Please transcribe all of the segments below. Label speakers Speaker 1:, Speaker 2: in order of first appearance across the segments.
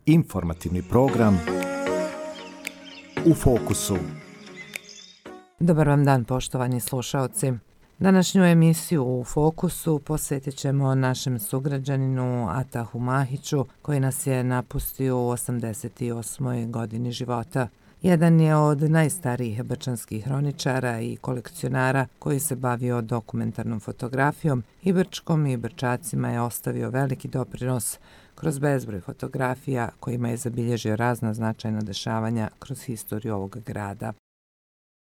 Speaker 1: Informativni program U fokusu.
Speaker 2: Dobar vam dan, poštovani slušaoci. Današnju emisiju U fokusu posvetit ćemo našem sugrađaninu Atahu Mahiću, koji nas je napustio u 88. godini života. Jedan je od najstarijih brčanskih hroničara i kolekcionara koji se bavio dokumentarnom fotografijom i Brčkom i Brčacima je ostavio veliki doprinos kroz bezbroj fotografija kojima je zabilježio razna značajna dešavanja kroz historiju ovog grada.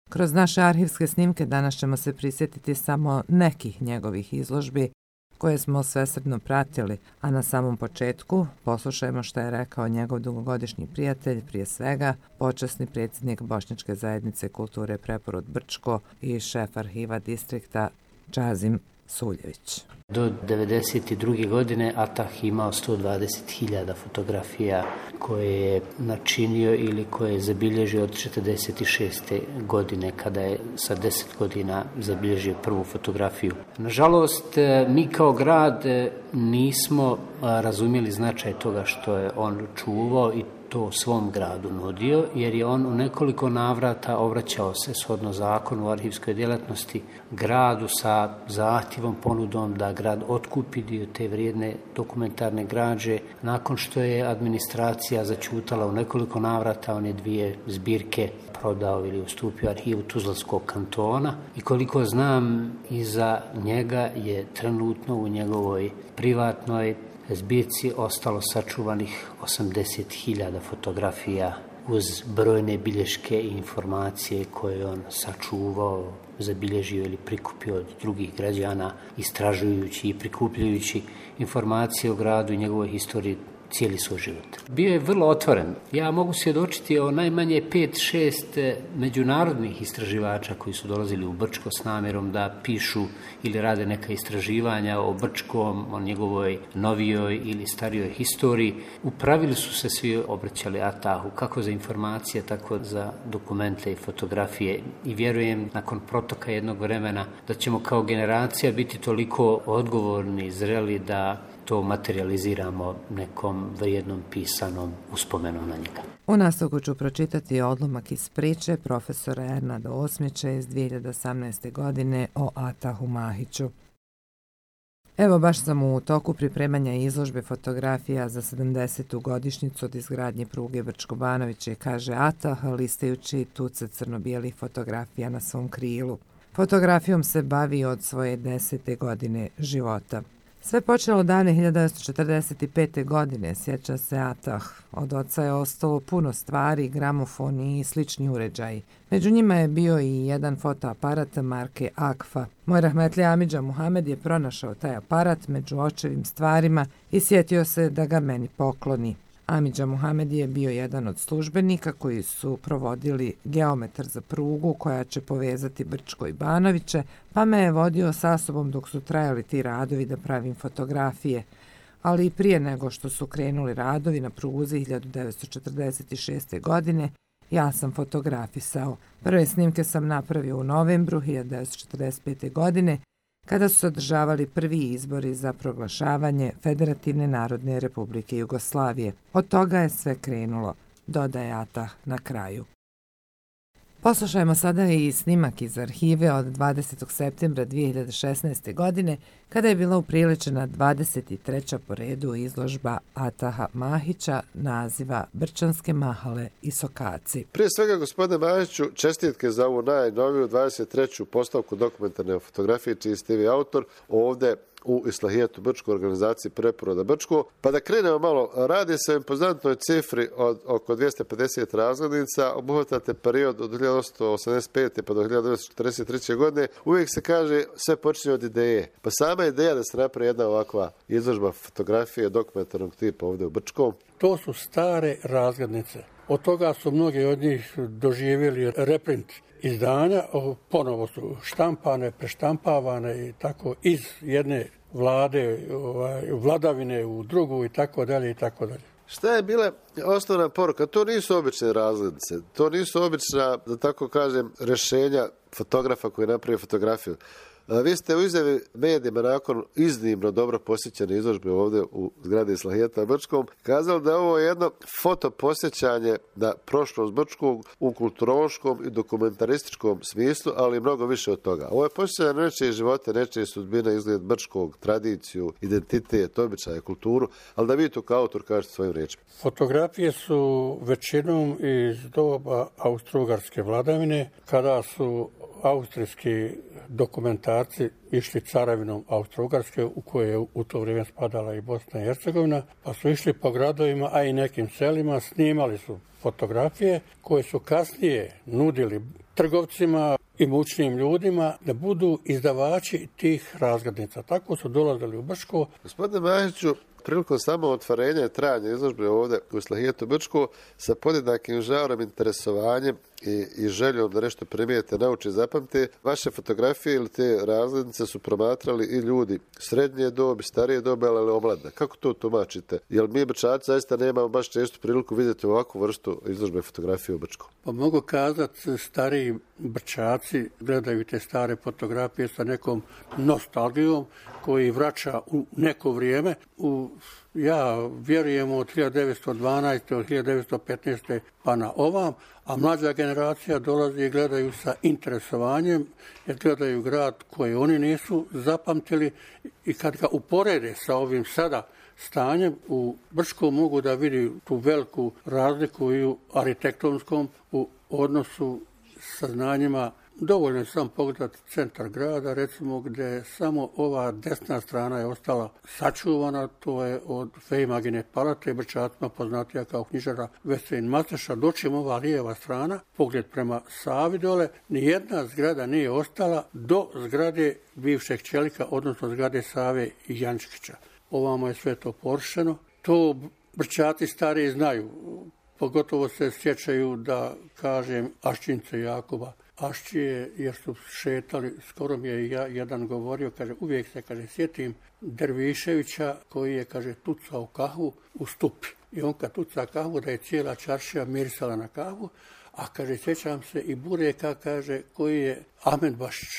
Speaker 2: Kroz naše arhivske snimke danas ćemo se prisjetiti samo nekih njegovih izložbi koje smo svesrdno pratili, a na samom početku poslušajmo što je rekao njegov dugogodišnji prijatelj, prije svega počasni predsjednik Bošnjačke zajednice kulture Preporod Brčko i šef arhiva distrikta Čazim Suljević.
Speaker 3: Do 1992. godine Atah imao 120.000 fotografija koje je načinio ili koje je zabilježio od 1946. godine kada je sa 10 godina zabilježio prvu fotografiju. Nažalost, mi kao grad nismo razumjeli značaj toga što je on čuvao i to svom gradu nudio, jer je on u nekoliko navrata obraćao se shodno zakonu o arhivskoj djelatnosti gradu sa zahtjevom, ponudom da grad otkupi dio te vrijedne dokumentarne građe. Nakon što je administracija zaćutala u nekoliko navrata, on je 2 zbirke prodao ili ustupio arhivu Tuzlanskog kantona i koliko znam, iza njega je trenutno u njegovoj privatnoj zbirci ostalo sačuvanih 80.000 fotografija uz brojne bilješke i informacije koje on sačuvao, zabilježio ili prikupio od drugih građana, istražujući i prikupljajući informacije o gradu i njegovoj historiji cijeli svoj život. Bio je vrlo otvoren. Ja mogu svjedočiti o najmanje 5-6 međunarodnih istraživača koji su dolazili u Brčko s namjerom da pišu ili rade neka istraživanja o Brčkom, o njegovoj novijoj ili starijoj historiji. U pravilu su se svi obraćali Atahu, kako za informacije, tako za dokumente i fotografije. I vjerujem, nakon protoka jednog vremena, da ćemo kao generacija biti toliko odgovorni i zreli da to materializiramo nekom vrijednom pisanom uspomenom na njega.
Speaker 2: U nastavku ću pročitati odlomak iz priče profesora Ernada Osmića iz 2018. godine o Atahu Mahiću. Evo, baš sam u toku pripremanja izložbe fotografija za 70. godišnjicu od izgradnje pruge Brčko-Banoviće, kaže Atah, listajući tuce crno-bijelih fotografija na svom krilu. Fotografijom se bavi od svoje 10. godine života. Sve počelo davne 1945. godine, sjeća se Atah. Od oca je ostalo puno stvari, gramofoni i slični uređaji. Među njima je bio i jedan fotoaparat marke Akfa. Moj rahmetli Amidža Muhamed je pronašao taj aparat među očevim stvarima i sjetio se da ga meni pokloni. Amidža Muhamed je bio jedan od službenika koji su provodili geometar za prugu koja će povezati Brčko i Banoviće, pa me je vodio sa sobom dok su trajali ti radovi da pravim fotografije. Ali i prije nego što su krenuli radovi na pruzi 1946. godine, ja sam fotografisao. Prve snimke sam napravio u novembru 1945. godine, kada su se održavali prvi izbori za proglašavanje Federativne narodne republike Jugoslavije. Od toga je sve krenulo, dodaje Atah na kraju. Poslušajmo sada i snimak iz arhive od 20. septembra 2016. godine, kada je bila upriličena 23. po redu izložba Ataha Mahića naziva Brčanske mahale i sokaci.
Speaker 4: Prije svega, gospodine Mahiću, čestitke za ovu najnoviju 23. postavku dokumentarne fotografije, čiji ste vi autor, ovdje u Islahijetu Brčko, organizaciji Preporoda Brčko. Pa da krenemo malo, radi se o impozantnoj cifri od oko 250 razglednica, obuhvatate period od 1885. pa do 1943. godine. Uvijek se kaže sve počinje od ideje. Pa sama ideja da se napravi jedna ovakva izložba fotografije dokumentarnog tipa ovdje u Brčkom.
Speaker 5: To su stare razglednice. Od toga su mnogi od njih doživjeli reprint izdanja, ponovo su štampane, preštampavane i tako iz jedne vlade, vladavine u drugu i tako dalje i tako dalje.
Speaker 4: Šta je bila osnovna poruka? To nisu obične razglednice, to nisu obična, da tako kažem, rješenja fotografa koji napravi fotografiju. Vi ste u izjavi medijima nakon iznimno dobro posjećene izložbe ovdje u zgradi Islahijeta Brčkom kazali da je ovo jedno fotoposjećanje na prošlost Brčkog u kulturološkom i dokumentarističkom smislu, ali mnogo više od toga. Ovo je posjećanje na nečije živote, nečije sudbine, izgled Brčkog, tradiciju, identitet, običaje, kulturu, ali da vi to kao autor kažete svojim riječima.
Speaker 5: Fotografije su većinom iz doba austro-ugarske vladavine, kada su austrijski dokumentarci išli caravinom Austro-Ugarske, u koje je u to vrijeme spadala i Bosna i Hercegovina, pa su išli po gradovima, a i nekim selima, snimali su fotografije koje su kasnije nudili trgovcima i mučnim ljudima da budu izdavači tih razglednica. Tako su dolazili u Brčko.
Speaker 4: Gospodine Mahiću, prilikom samo otvorenja i trajanja izložbe ovdje u Islahijetu Brčko sa podjednakim žarom, interesovanjem i željom da nešto primijete, nauči, zapamte, vaše fotografije ili te razglednice su promatrali i ljudi srednje dobi, starije dobi, ali omladne. Kako to tumačite? Jer mi Brčaci zaista nemamo baš čestu priliku vidjeti ovakvu vrstu izložbe fotografije u Brčku.
Speaker 5: Pa mogu kazati, stariji Brčaci gledaju te stare fotografije sa nekom nostalgijom koji vraća u neko vrijeme. Ja vjerujem od 1912. od 1915. pa na ovam, a mlađa generacija dolazi i gledaju sa interesovanjem, jer gledaju grad koji oni nisu zapamtili i kad ga uporede sa ovim sada stanjem, u Brčkom mogu da vidi tu veliku razliku i u arhitektonskom u odnosu sa znanjima. Dovoljno je sam pogledati centar grada, recimo, gdje samo ova desna strana je ostala sačuvana, to je od Fejmagine palate, Brčacima poznatija kao knjižara Veselin Mateša, dočim ova lijeva strana, pogled prema Savi dole, nijedna zgrada nije ostala do zgrade bivšeg čelika, odnosno zgrade Save i Jančkića. Ovamo je sve to porušeno. To Brčaci stariji znaju, pogotovo se sjećaju da kažem Aščince Jakoba. Aščije, jer su šetali, skoro mi je jedan govorio, kaže, uvijek se, kaže, sjetim Derviševića koji je, kaže, tucao kahvu u Stupi. I on kad tuca kahvu, da je cijela čaršija mirisala na kahvu, a, kaže, sjećam se i Bureka, kaže, koji je Ahmed Bašić,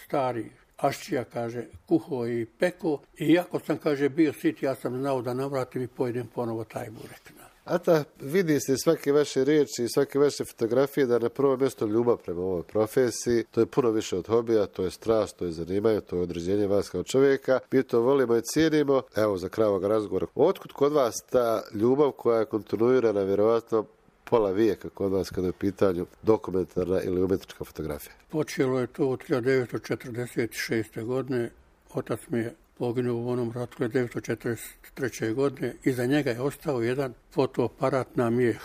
Speaker 5: stari Aščija, kaže, kuho i peko. I iako sam, kaže, bio sit, ja sam znao da navratim i pojedem ponovo taj burek.
Speaker 4: Ata, vidi se svake vaše riječi i svake vaše fotografije da je na prvo mjesto ljubav prema ovoj profesiji. To je puno više od hobija, to je strast, to je zanimanje, to je određenje vas kao čovjeka. Mi to volimo i cijenimo. Evo, za kraj ovog razgovora. Otkud kod vas ta ljubav koja je kontinuirana, vjerovatno pola vijeka kod vas kada je u pitanju dokumentarna ili umjetnička fotografija?
Speaker 5: Počelo je to od 1946. godine. Otac mi je poginuo u onom ratu 1943. godine. Iza njega je ostao jedan fotoaparat na mijeh.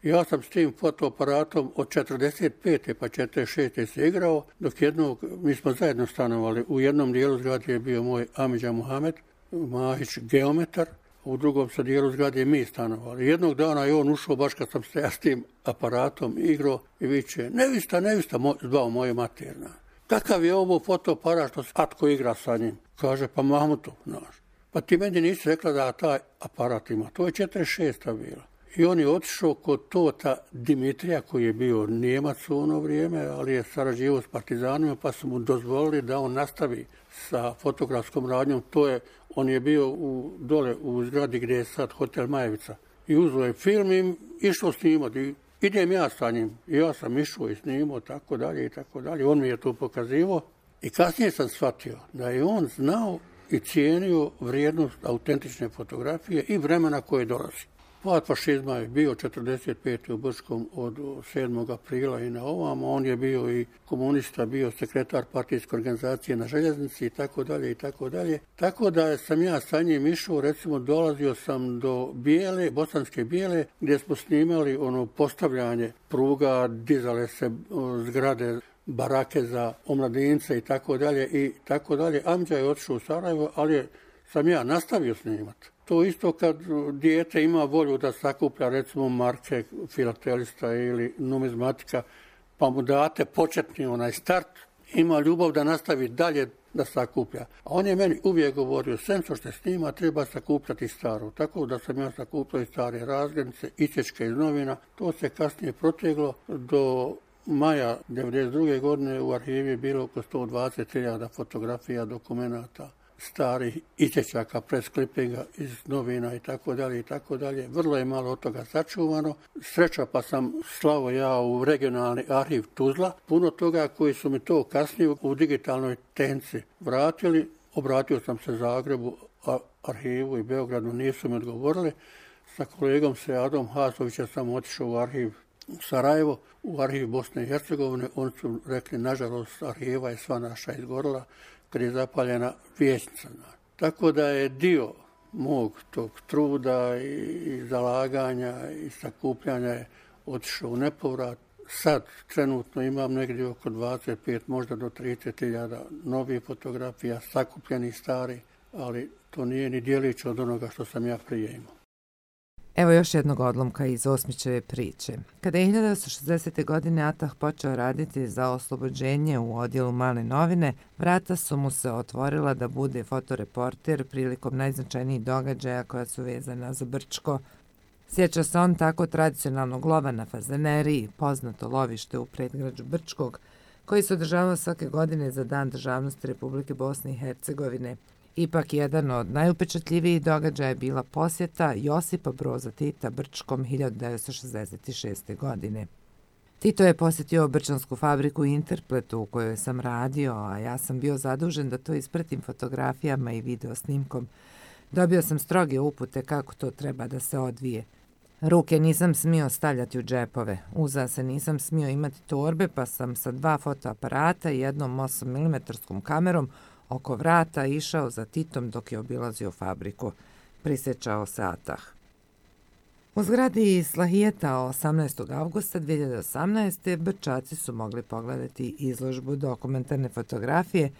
Speaker 5: Ja sam s tim fotoaparatom od 45. pa 46. se igrao, dok mi smo zajedno stanovali. U jednom dijelu zgrade je bio moj Amidža Muhamed Mahić, geometar, u drugom sa dijelu zgrade mi stanovali. Jednog dana je on ušao baš kad sam se ja s tim aparatom igrao i viče, nevista, zvao moje materna. Kakav je ovo fotoaparat što Atko igra sa njim? Kaže, pa Mahmutov, znaš. Pa ti meni nisi rekla da taj aparat ima. To je 46. bila. I on je otišao kod Tota Dimitrija, koji je bio Nijemac u ono vrijeme, ali je sarađivao s partizanima, pa su mu dozvolili da on nastavi sa fotografskom radnjom. On je bio dole u zgradi gdje je sad hotel Majevica. I uzeo je film i išao snimati. Idem ja sa njim. I ja sam išao i snimao, tako dalje i tako dalje. On mi je to pokazivao. I kasnije sam shvatio da je on znao i cijenio vrijednost autentične fotografije i vremena koje dolazi. Pad fašizma je bio 45. u Brčkom od 7. aprila i na ovamo. On je bio i komunista, bio sekretar partijske organizacije na željeznici i tako dalje i tako dalje. Tako da sam ja sa njim išao, recimo dolazio sam do Bijele, Bosanske Bijele, gdje smo snimali postavljanje pruga, dizale se zgrade, barake za omladince i tako dalje i tako dalje. Amidža je otišao u Sarajevo, ali sam ja nastavio snimati. To isto kad dijete ima volju da sakuplja recimo marke filatelista ili numizmatika, pa mu date početni start, ima ljubav da nastavi dalje da sakuplja. A on je meni uvijek govorio, sem što se snima, treba sakupljati staro. Tako da sam ja sakupljao i stare razglednice, isječke iz novina. To se kasnije proteglo do maja 1992. godine u arhivi je bilo oko 120.000 fotografija, dokumenata, starih isječaka, presklipinga iz novina i tako dalje i tako dalje. Vrlo je malo od toga sačuvano. Sreća pa sam slao ja u regionalni arhiv Tuzla. Puno toga koji su mi to kasnije u digitalnoj tenci vratili. Obratio sam se Zagrebu, arhivu i Beogradu, nisu mi odgovorili. Sa kolegom Seadom Hasovićem sam otišao u arhiv Sarajevo, u arhiv Bosne i Hercegovine. Oni su rekli, nažalost, arhiva je sva naša izgorila kad je zapaljena vijećnica. Tako da je dio mog tog truda i zalaganja i sakupljanja je otišao u nepovrat. Sad trenutno imam negdje oko 25, možda do 30.000 novih fotografija, sakupljenih stari, ali to nije ni djelić od onoga što sam ja prije imao.
Speaker 2: Evo još jednog odlomka iz Osmićeve priče. Kada je 1960. godine Atah počeo raditi za oslobođenje u odjelu Male novine, vrata su mu se otvorila da bude fotoreporter prilikom najznačajnijih događaja koja su vezana za Brčko. Sjeća se on tako tradicionalnog lova na Fazaneriji, poznato lovište u predgrađu Brčkog, koji se održavao svake godine za Dan državnosti Republike Bosne i Hercegovine. Ipak jedan od najupečatljivijih događaja je bila posjeta Josipa Broza Tita Brčkom 1966. godine. Tito je posjetio brčansku fabriku Interpletu u kojoj sam radio, a ja sam bio zadužen da to ispratim fotografijama i video snimkom. Dobio sam stroge upute kako to treba da se odvije. Ruke nisam smio stavljati u džepove, uza se nisam smio imati torbe, pa sam sa 2 fotoaparata i jednom 8 mm kamerom oko vrata išao za Titom dok je obilazio fabriku, prisjećao se Atah. U zgradi Islahijeta 18. avgusta 2018. Brčaci su mogli pogledati izložbu dokumentarne fotografije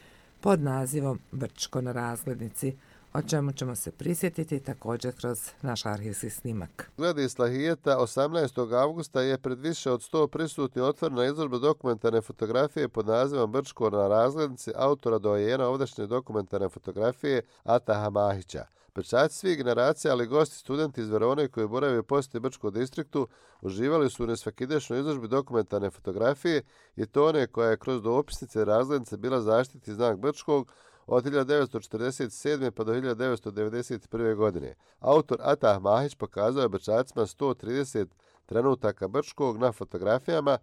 Speaker 2: pod nazivom Brčko na razglednici, o čemu ćemo se prisjetiti također kroz naš arhivski snimak.
Speaker 4: Zgradi Islahijeta 18. avgusta je pred više od 100 prisutni otvorena izložba dokumentarne fotografije pod nazivom Brčko na razglednici autora dojena ovdašnje dokumentarne fotografije Ataha Mahića. Brčaci svih generacija, ali gosti studenti iz Verone koji boravaju u posjeti Brčkom distriktu uživali su u nesvakidašnjoj izložbi dokumentarne fotografije i to one koja je kroz dopisnice razglednice bila zaštitni znak Brčkog od 1947. pa do 1991. godine. Autor Atah Mahić pokazao je Brčacima 130 trenutaka Brčkog na fotografijama.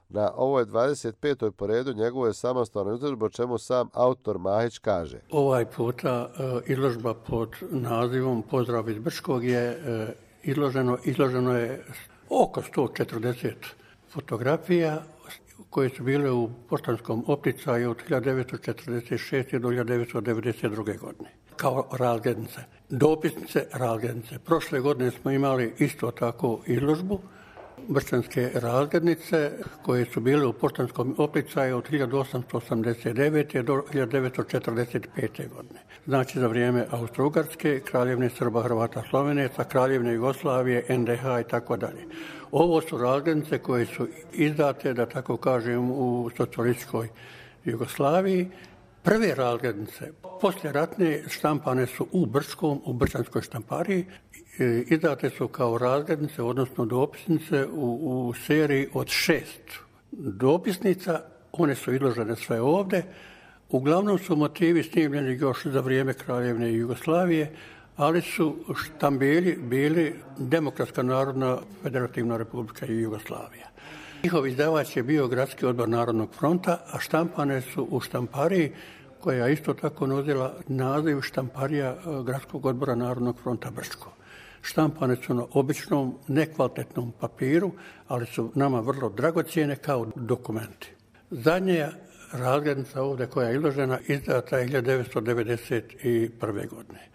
Speaker 4: Na ovoj 25. po redu njegove samostalne izložbe, o čemu sam autor Mahić kaže.
Speaker 5: Ovaj puta izložba pod nazivom Pozdrav iz Brčkog je izloženo je oko 140 fotografija koje su bile u poštanskom opticaju od 1946. do 1992. godine. Kao razglednice, dopisnice razglednice. Prošle godine smo imali isto tako izložbu brčanske razglednice koje su bile u poštanskom opticaju od 1889. do 1945. godine. Znači za vrijeme Austro-Ugarske, Kraljevine Srba, Hrvata, Slovenaca, Kraljevine Jugoslavije, NDH i tako dalje. Ovo su razglednice koje su izdate, da tako kažem, u socijalističkoj Jugoslaviji. Prve razglednice poslijeratne štampane su u Brčkom, u brčanskoj štampariji. Izdate su kao razglednice, odnosno dopisnice u seriji od 6 dopisnica. One su izložene sve ovdje. Uglavnom su motivi snimljeni još za vrijeme Kraljevine Jugoslavije, ali su štambelji bili Demokratska narodna federativna republika i Jugoslavija. Njihov izdavač je bio Gradski odbor Narodnog fronta, a štampane su u štampariji koja isto tako nosila naziv štamparija Gradskog odbora Narodnog fronta Brčko. Štampane su na običnom, nekvalitetnom papiru, ali su nama vrlo dragocjene kao dokumenti. Zadnja razglednica ovdje koja je izložena izdata je 1991. godine.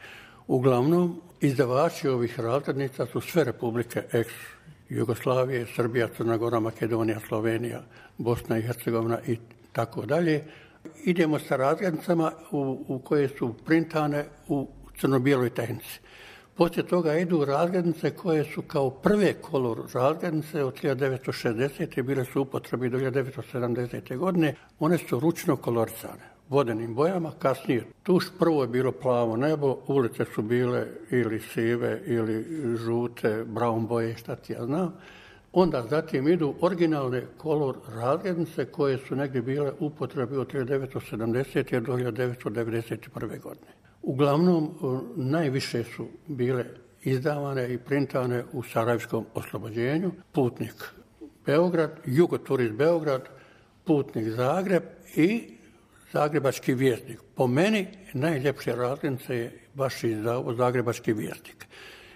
Speaker 5: Uglavnom, izdavači ovih razglednica su sve republike ex-Jugoslavije, Srbija, Crna Gora, Makedonija, Slovenija, Bosna i Hercegovina i tako dalje. Idemo sa razglednicama u koje su printane u crno-bijeloj tehnici. Poslije toga idu razglednice koje su kao prve kolor razglednice od 1960. bile su u upotrebi do 1970. godine. One su ručno kolorisane, vodenim bojama, kasnije tuš. Prvo je bilo plavo nebo, ulice su bile ili sive ili žute, brown boje, šta ti ja znam. Onda zatim idu originalne kolor razglednice koje su negdje bile u upotrebi od 1970. do 1991. godine. Uglavnom, najviše su bile izdavane i printane u Sarajevskom oslobođenju, Putnik Beograd, Jugoturist Beograd, Putnik Zagreb i Zagrebački vjesnik. Po meni najljepše razglednice je baš izdao Zagrebački vjesnik.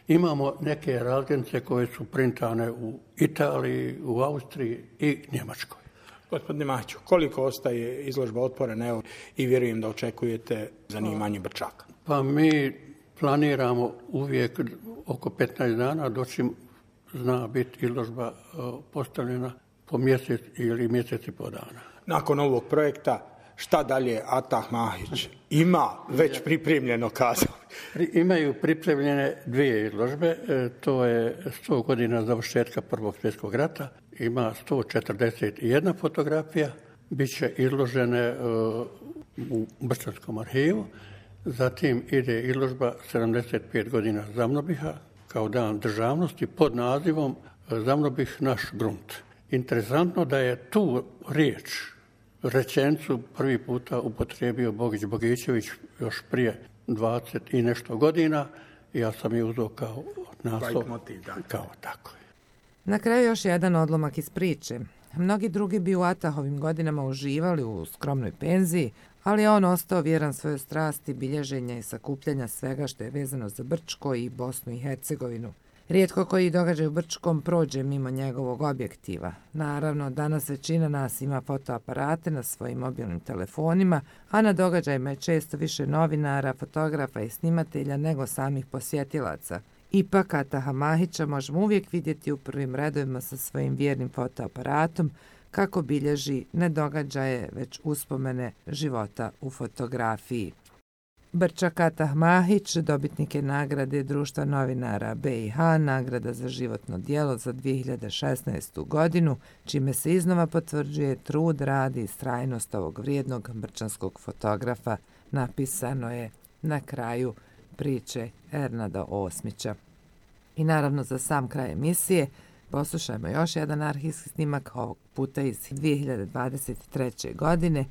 Speaker 5: Imamo neke razglednice koje su printane u Italiji, u Austriji i Njemačkoj.
Speaker 6: Gospodine Mahiću, koliko ostaje izložba otvorena, evo, i vjerujem da očekujete zanimanje Brčaka?
Speaker 5: Pa mi planiramo uvijek oko 15 dana, doći zna biti izložba postavljena po mjesec ili mjesec i po dana.
Speaker 6: Nakon ovog projekta, šta dalje Atah Mahić ima već pripremljeno, kazao?
Speaker 5: Imaju pripremljene 2 izložbe, to je 100 godina završetka Prvog svjetskog rata, ima 141 fotografija, bit će izložene u Brčanskom arhivu, zatim ide izložba 75 godina Zamnobiha kao dan državnosti pod nazivom Zamnobih naš grunt. Interesantno da je tu rečenicu prvi puta upotrijebio Bogić Bogićević još prije 20 i nešto godina i ja sam je uzeo kao naslov. Kao tako je.
Speaker 2: Na kraju još jedan odlomak iz priče. Mnogi drugi bi u Atahovim godinama uživali u skromnoj penziji, ali je on ostao vjeran svojoj strasti bilježenja i sakupljanja svega što je vezano za Brčko i Bosnu i Hercegovinu. Rijetko koji događaj u Brčkom prođe mimo njegovog objektiva. Naravno, danas većina nas ima fotoaparate na svojim mobilnim telefonima, a na događajima je često više novinara, fotografa i snimatelja nego samih posjetilaca. Ipak Ataha Mahića možemo uvijek vidjeti u prvim redovima sa svojim vjernim fotoaparatom kako bilježi ne događaje, već uspomene života u fotografiji. Brčak Atah Mahić dobitnik je nagrade Društva novinara BiH, nagrada za životno djelo za 2016. godinu, čime se iznova potvrđuje trud, rad i istrajnost ovog vrijednog brčanskog fotografa, napisano je na kraju priče Ernada Osmića. I naravno za sam kraj emisije poslušajmo još jedan arhivski snimak, ovog puta iz 2023. godine,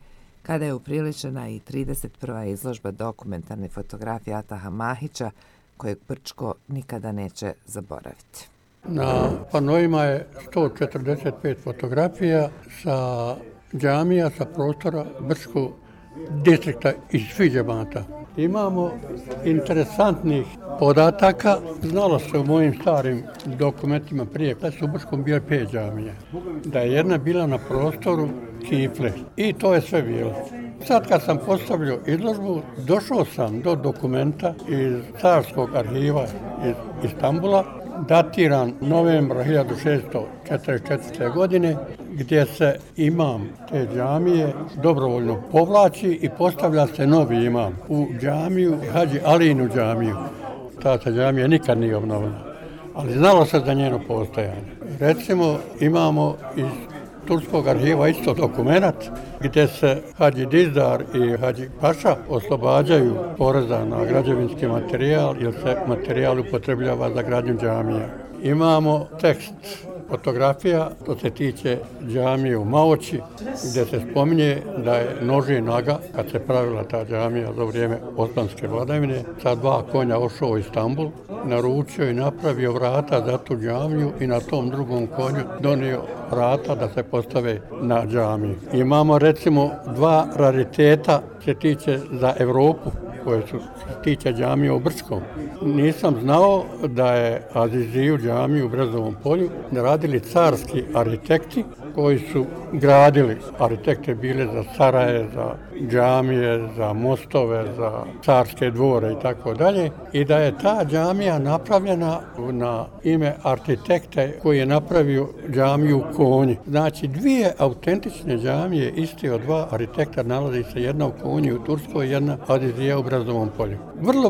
Speaker 2: kada je upriličena i 31. izložba dokumentarne fotografije Ataha Mahića, kojeg Brčko nikada neće zaboraviti.
Speaker 5: Na panoima je 145 fotografija sa džamija, sa prostora Brčkog distrikta iz svih džemata. Imamo interesantnih podataka. Znalo se u mojim starim dokumentima prije da su u Brčkom bile 5 džamije. Da je jedna bila na prostoru Kifle. I to je sve bilo. Sad kad sam postavljao izložbu, došao sam do dokumenta iz Carskog arhiva iz Istanbula, datiran novembra 1644. godine, gdje se imam te džamije dobrovoljno povlači i postavlja se novi imam u džamiju, Hadži Alinu džamiju. Ta džamija nikad nije obnovljena, ali znalo se za njeno postojanje. Recimo, imamo iz Turskog arhiva isto dokumenat gdje se Hadži Dizdar i Hadži Paša oslobađaju poreza na građevinski materijal jer se materijal upotrebljava za gradnju džamija. Imamo tekst fotografija, to se tiče džamije u Maoči, gdje se spominje da je Nožin Aga, kad se pravila ta džamija za vrijeme osmanske vladavine, sa 2 konja ošao u Istanbul, naručio i napravio vrata za tu džamiju i na tom drugom konju donio vrata da se postave na džamiju. Imamo recimo 2 rariteta se tiče za Europu, koje se tiče džamije u Brčkom. Nisam znao da je Aziziju džamiju u Brezovom polju radili carski arhitekti koji su gradili, arhitekte bile za saraje, za džamije, za mostove, za carske dvore i tako dalje. I da je ta džamija napravljena na ime arhitekte koji je napravio džamiju u Konji. Znači 2 autentične džamije iste od 2 arhitekta nalazi se, jedna u Konji u Turskoj, jedna Azizija u Brezovom polju.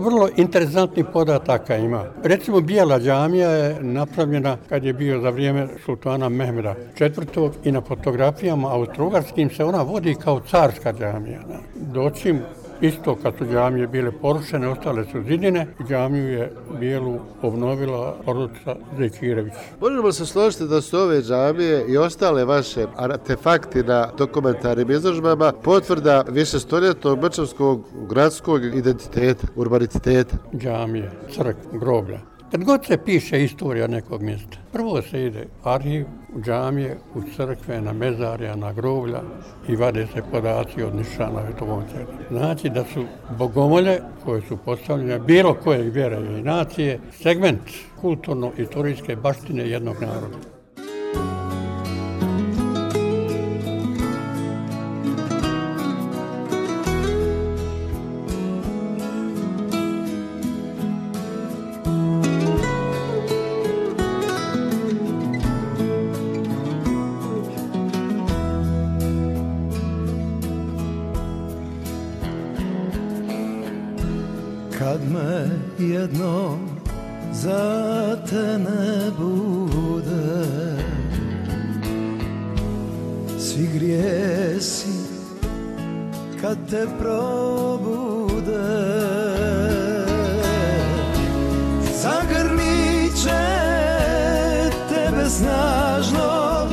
Speaker 5: Vrlo interesantnih podataka ima. Recimo Bijela džamija je napravljena kad je bio za vrijeme sultana Mehmeda IV. I na fotografijama austrougarskim se ona vodi kao carska džamija. Doćim Isto kad su džamije bile porušene, ostale su zidine, džamiju je bijelu obnovila porodica Zekirević.
Speaker 4: Možemo se složiti da su ove džamije i ostale vaše artefakti na dokumentarnim izložbama potvrda višestoljetnog brčanskog gradskog identiteta, urbaniteta.
Speaker 5: Džamije, crkve, groblja. Kad god se piše istorija nekog mjesta, prvo se ide u arhiv, u džamije, u crkve, na mezarja, na groblja i vade se podaci od nišana Vetogonca. Znači da su bogomolje koje su postavljene bilo kojeg vjere i nacije segment kulturno-istorijske baštine jednog naroda.
Speaker 7: Kad me jednom za te ne bude, svi grijesi kad te probude, zagrlit će tebe snažno,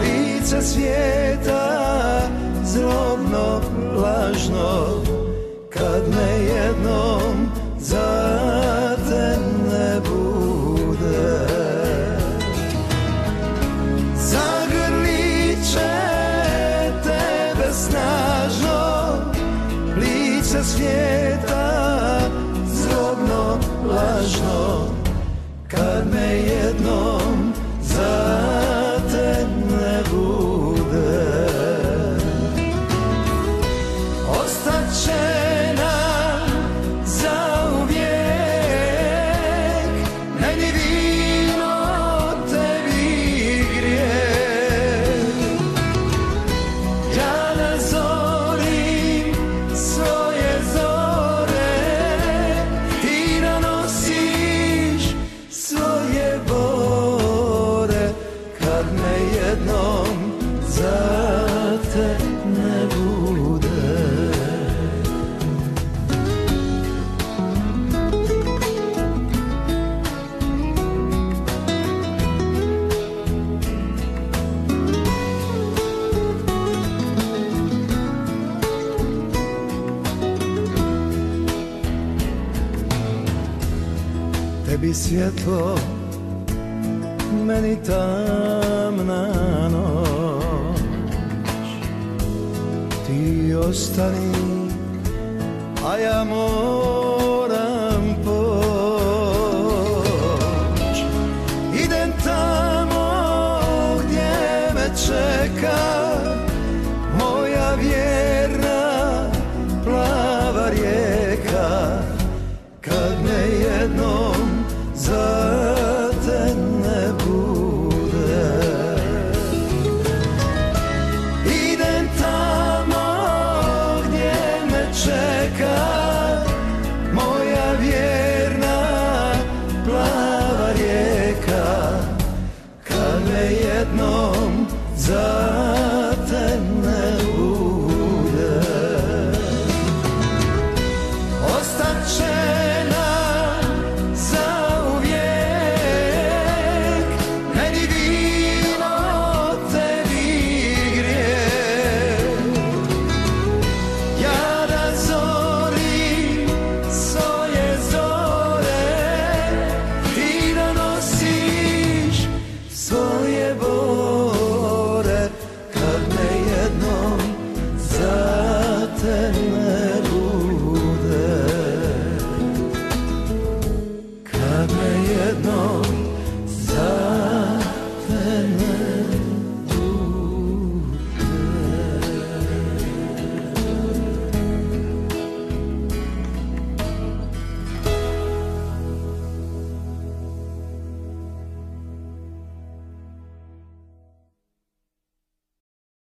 Speaker 7: lice svijeta zlobno, lažno. Kad me jednom za te ne bude, zagrlit će tebe snažno, lice svijeta zlobno, lažno. Kad me jednom za te ne bude, ostaće tebi svjetlo, meni tamna noć. Ti ostani, a ja moj